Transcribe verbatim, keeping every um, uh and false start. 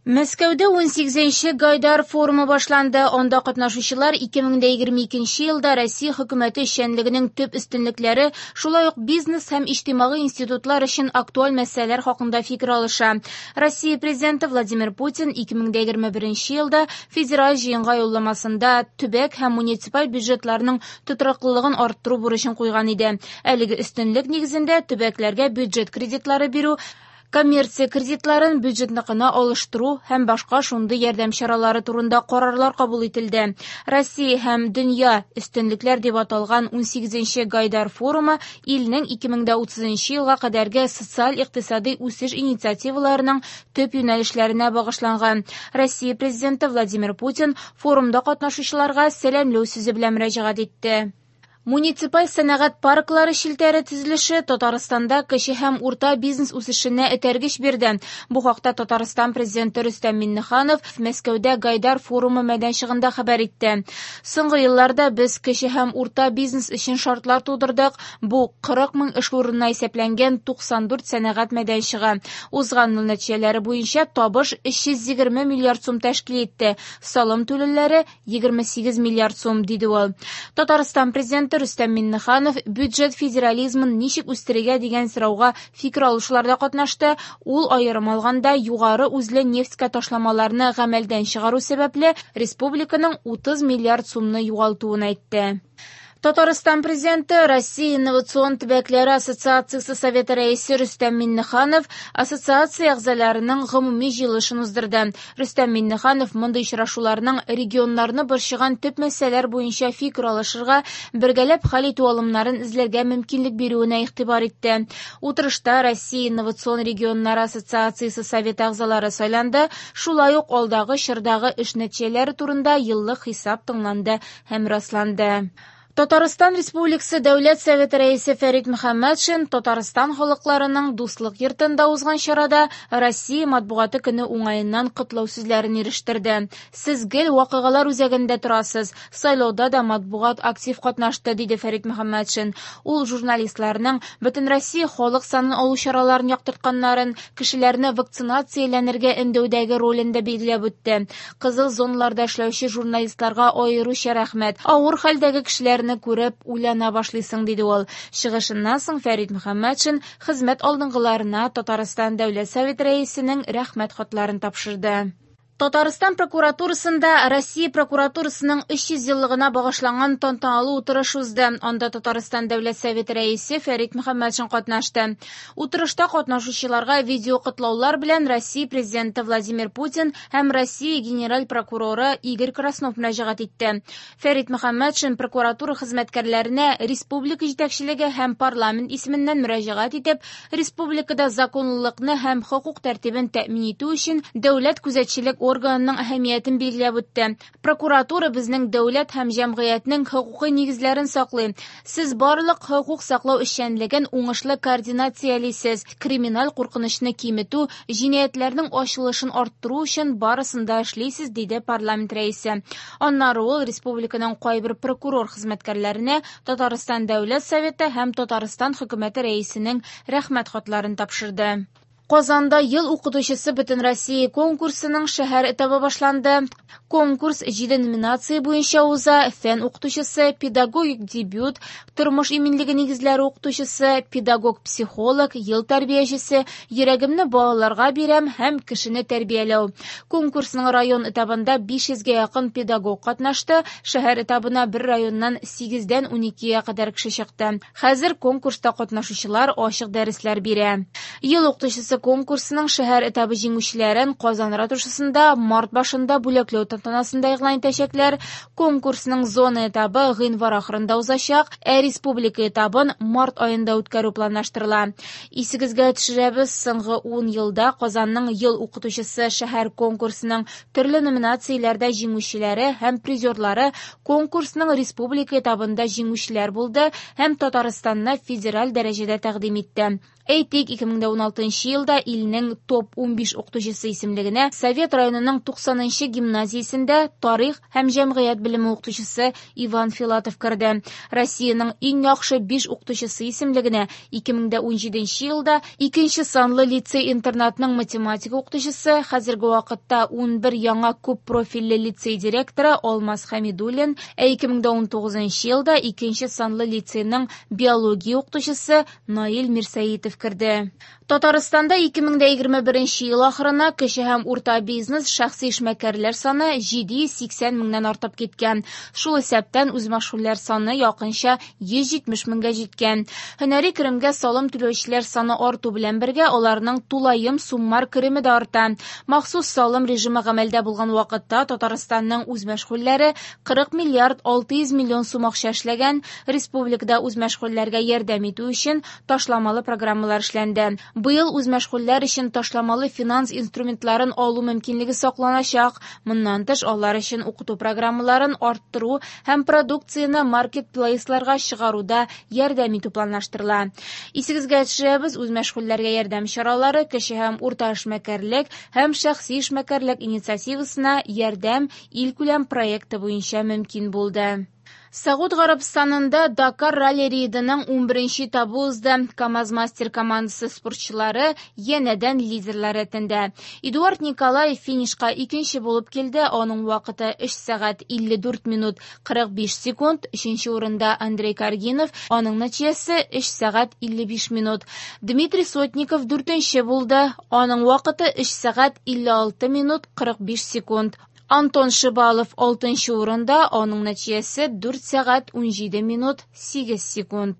Мәскәүдә унсигезенче Гайдар форумы башланды. Анда катнашучылар ике мең дә егерме икенче елда Россия хөкүмәте эшчәнлегенең төп өстенлекләре, шулай ук бизнес һәм иҗтимагый институтлар өчен актуаль мәсьәләләр хакында фикер алыша. Россия президенты Владимир Путин ике мең дә егерме беренче елда федераль җыенга юлламасында төбәк һәм муниципаль бюджетларның тотрыклылыгын арттыру бурычын куйган иде. Әлеге өстенлек нигезендә төбәкләргә бюджет кредитлары бирү, коммерция кредитларын бюджетныкына алыштыру һәм башка шундый ярдәм чаралары турында карарлар кабул ителде. Россия һәм дөнья өстенлекләр дип аталган унсигезенче Гайдар форумы илнең ике мең дә утызынчы елга кадәрге социаль-икътисади үсеш инициативаларының төп юнәлешләренә багышланган. Россия президенты Владимир Путин форумда катнашучыларга сәламләү сүзе белән мөрәҗәгать итте. Муниципаль сәнәгать парклары челтәре төзелеше Татарстанда кече һәм урта бизнес үсешенә этәргеч бирде. Бу хакта Татарстан президенты Рөстәм Миңнеханов Мәскәүдә Гайдар форумы мәйданчыгында хәбәр итте. Соңгы елларда без кече һәм урта бизнес өчен шартлар тудырдык. Бу кырык мең эш урынына исәпләнгән туксан дүрт сәнәгать мәйданчыгы. Узган ел нәтиҗәләре буенча табыш өч йөз егерме миллиард сум тәшкил итте. Салым түләүләре егерме сигез миллиард сум, диде ул. Татарстан президенты Рөстәм Миңнеханов бюджет федерализмын ничек үстерергә дигән сорауга фикер алышуларда катнашты. Ул аерым алганда югары үзле нефтькә ташламаларны гамәлдән чыгару сәбәпле республиканың утыз миллиард сумны югалтуын әйтте. Татарстан президенты Россия инновацион төбәкләре ассоциациясе советы рәисе Рөстәм Миңнеханов ассоциация әгъзаларының гомуми җыелышын уздырды. Рөстәм Миңнеханов мондый очрашуларның регионнарны борчыган төп мәсьәләләр буенча фикер алышырга, бергәләп хәл итү алымнарын эзләргә мөмкинлек бирүенә игътибар итте. Утырышта Россия инновацион регионнары ассоциациясе советы әгъзалары сайланды, шулай ук алдагы чордагы эш нәтиҗәләре турында еллык хисап тыңланды һәм расланды. Татарстан Республикасы Дәүләт Советы рәисе Фәрит Мөхәммәтшин Татарстан халыкларының дуслык йортында узган чарада Россия матбугаты көне уңаеннан котлау сүзләрен ирештерде. Сез гел вакыйгалар үзәгендә торасыз, сайлауда да матбугат актив катнашты, диде Фәрит Мөхәммәтшин. Ул журналистларның бөтен Россия халык санын алу чараларын яктыртканнарын, кешеләрне вакцинацияләнергә өндәүдәге ролен дә билгеләп үтте. Кызыл зоналарда эшләүче журналистларга аеруча рәхмәт. Авыр хәлдәге кешеләрне күреп уйлана башлыйсың, диде ул. Чыгышыннан соң Фәрит Мөхәммәтшин хезмәт алдынгыларына Татарстан Дәүләт Советы рәисенең рәхмәт хатларын тапшырды. Татарстан прокуратурасында Россия прокуратурасының өч йөз еллыгына багышланган тантаналы утырыш узды. Анда Татарстан Дәүләт Советы рәисе Фәрит Мөхәммәтшин катнашты. Утырышта катнашучыларга видео котлаулар белән Россия президенты Владимир Путин һәм Россия генераль прокуроры Игорь Краснов мөрәҗәгать итте. Фәрит Мөхәммәтшин прокуратура хезмәткәрләренә республика җитәкчелеге һәм парламент исеменнән мөрәҗәгать итеп, республикада законлылыкны һәм хокук тәртибен тәэмин итү өчен дәүләт күзәтчелек органының әһәмиятен билгеләп үтте. Прокуратура безнең дәүләт һәм җәмгыятьнең хокукый нигезләрен саклый. Сез барлык хокук саклау эшчәнлеген уңышлы координациялисез. Криминаль куркынычны киметү, җинаятьләрнең ачылышын арттыру өчен барысын да эшлисез, диде парламент рәисе. Аннары ул республиканың кайбер прокурор хезмәткәрләренә Татарстан Дәүләт Советы һәм Татарстан хөкүмәте рәисенең рәхмәт хатларын тапшырды. Казанда ел укытучысы бөтен Россия конкурсының шәһәр этабы башланды. Конкурс җиде номинация буенча уза: фән укытучысы, педагогик дебют, тормыш иминлеге нигезләре укытучысы, педагог-психолог, ел тәрбиячесе, йөрәгемне балаларга бирәм һәм кешене тәрбияләү. Конкурсның район этабында биш йөзгә якын педагог катнашты. Шәһәр этабына бер районнан сигездән уникегә кадәр кеше чыкты. Хәзер конкурста катнашучылар ачык дәресләр бирә. Ел укытучысы конкурсының шәһәр этабы җиңүчеләрен Казан ратушасында март башында бүләкләү тантанасында игълан итәчәкләр. Конкурсның зона этабы гыйнвар ахырында узачак, ә республика этабын март аенда үткәрү планлаштырыла. Исегезгә төшерәбез, соңгы ун елда Казанның ел укытучысы шәһәр конкурсының төрле номинацияләрдә җиңүчеләре һәм призерлары конкурсның республика этабында җиңүчеләр булды һәм Татарстанны федераль дәрәҗәдә тәкъдим итте. Әйтик, ике мең уналтынчы елда илнең топ унбиш укытучысы исемлегенә Совет районының туксанынчы гимназиясендә тарих һәм җәмгыять белеме укытучысы Иван Филатов керде. Россиянең иң яхшы биш укытучысы исемлегенә ике мең унҗиденче елда икенче санлы лицей-интернатның математика укытучысы, хәзерге вакытта унбер яңа күп профильле лицей директоры Алмаз Хәмидуллин, ә ике мең унтугызынчы елда икенче санлы лицейның биология укытучысы Наил Мирсәетов керде. Татарстанда ике мең егерме беренче ел ахырына кече һәм урта бизнес шәхси эшмәкәрләр саны җиде йөз сиксән меңнән артып киткән. Шул исәптән үзмәшгульләр саны якынча йөз җитмеш меңгә җиткән. Һөнәри керемгә салым түләүчеләр саны арту белән бергә аларның тулаем суммар кереме дә арта. Махсус салым режимы гамәлдә булган вакытта Татарстанның үзмәшгульләре кырык миллиард алты йөз миллион сум акча эшләгән. Республикада үзмәшгульләргә ярдәм итү өчен ташламалы программалар эшләнде. Быел үзмәшгульләр өчен ташламалы финанс инструментларын алу мөмкинлеге сакланачак. Моннан тыш, алар өчен укыту программаларын арттыру һәм продукцияне маркетплейсларга чыгаруда ярдәм итү планлаштырыла. Исегезгә төшерәбез, үзмәшгульләргә ярдәм чаралары кече һәм урта эшмәкәрлек һәм шәхси эшмәкәрлек инициативасына ярдәм илкүләм проекты буенча мөмкин булды. Сәгуд Гарәбстанында Дакар ралли-рейдының унберенче этабы узды. КАМАЗ-мастер командасы спортчылары янәдән лидерлар рәтендә. Эдуард Николаев финишка икенче булып килде. Аның вакыты өч сәгать илле дүрт минут кырык биш секунд. Өченче урында Андрей Каргинов, аның нәтиҗәсе өч сәгать илле биш минут. Дмитрий Сотников дүртенче булды. Аның вакыты өч сәгать илле алты минут кырык биш секунд. Антон Шибалов алтынчы урында, аның нәтиҗәсе дүрт сәгать унҗиде минут сигез секунд.